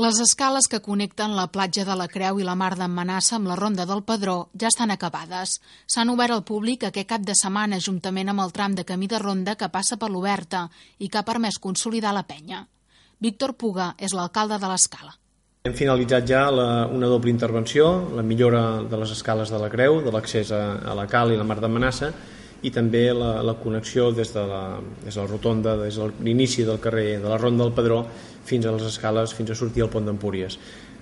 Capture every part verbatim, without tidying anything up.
Les escales que connecten la platja de la Creu i la Mar d'en Manassa amb la Ronda del Pedró ja estan acabades. S'han obert al públic aquest cap de setmana juntament amb el tram de camí de ronda que passa per l'Oberta i que ha permès consolidar la penya. Víctor Puga és l'alcalde de l'Escala. Hem finalitzat ja la, una doble intervenció, la millora de les escales de la Creu, de l'accés a, a la Cal i la Mar d'en Manassa, i també la, la connexió des de la, des de la rotonda, des de l'inici del carrer de la Ronda del Pedró fins a les escales, fins a sortir al pont d'Empúries.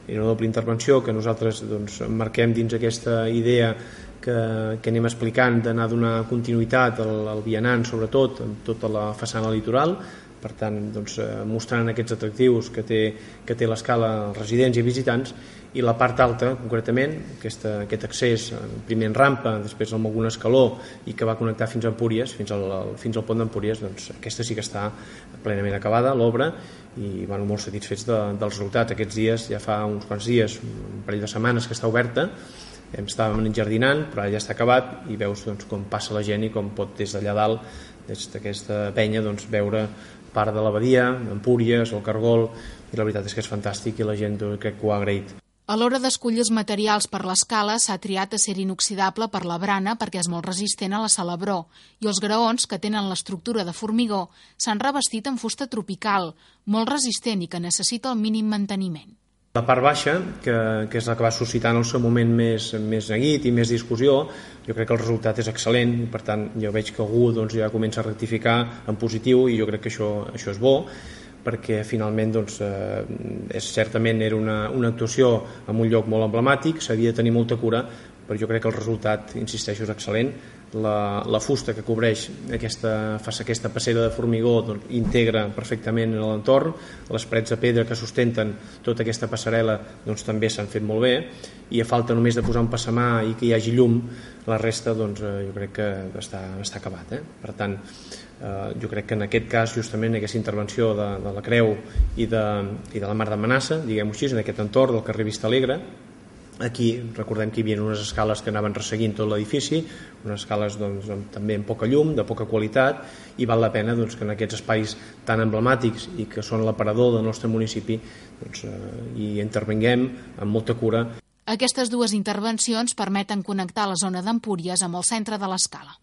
Era una doble intervenció que nosaltres doncs, marquem dins aquesta idea que, que anem explicant d'anar a donar continuïtat al, al vianant, sobretot, en tota la façana litoral, per tant, doncs, mostrant aquests atractius que té, que té l'Escala als residents i visitants, i la part alta, concretament, aquesta, aquest accés, primer en rampa, després amb algun escaló, i que va connectar fins a Empúries, fins al, fins al pont d'Empúries, doncs aquesta sí que està plenament acabada, l'obra, i bueno, molt satisfets de, del resultat. Aquests dies, ja fa uns quants dies, un parell de setmanes que està oberta, estàvem enjardinant, però ara ja està acabat, i veus doncs, com passa la gent i com pot des d'allà dalt, des d'aquesta penya, doncs, veure part de la badia, Empúries, el Cargol, i la veritat és que és fantàstic i la gent crec que ho ha agraït. A l'hora d'escollir els materials per l'escala s'ha triat acer inoxidable per la brana perquè és molt resistent a la salabror i els graons, que tenen l'estructura de formigó, s'han revestit en fusta tropical, molt resistent i que necessita el mínim manteniment. La part baixa, que, que és la que va suscitar en el seu moment més, més neguit i més discussió, jo crec que el resultat és excel·lent, per tant jo veig que algú doncs, ja comença a rectificar en positiu i jo crec que això, això és bo, perquè finalment doncs, eh, és, certament era una, una actuació en un lloc molt emblemàtic, s'havia de tenir molta cura, però jo crec que el resultat, insisteixo, és excel·lent. La, la fusta que cobreix aquesta, aquesta passera de formigó doncs, integra perfectament en l'entorn, les parets de pedra que sustenten tota aquesta passarel·la doncs, també s'han fet molt bé, i a falta només de posar un passamà i que hi hagi llum, la resta doncs, jo crec que està, està acabat. Eh? Per tant, eh, jo crec que en aquest cas, justament aquesta intervenció de, de la Creu i de, i de la Mar d'en Manassa, diguem-ho així, en aquest entorn del carrer Vista Alegre, aquí recordem que hi havia unes escales que anaven resseguint tot l'edifici, unes escales doncs, també amb poca llum, de poca qualitat, i val la pena doncs, que en aquests espais tan emblemàtics i que són l'aparador del nostre municipi doncs, eh, hi intervinguem amb molta cura. Aquestes dues intervencions permeten connectar la zona d'Empúries amb el centre de l'Escala.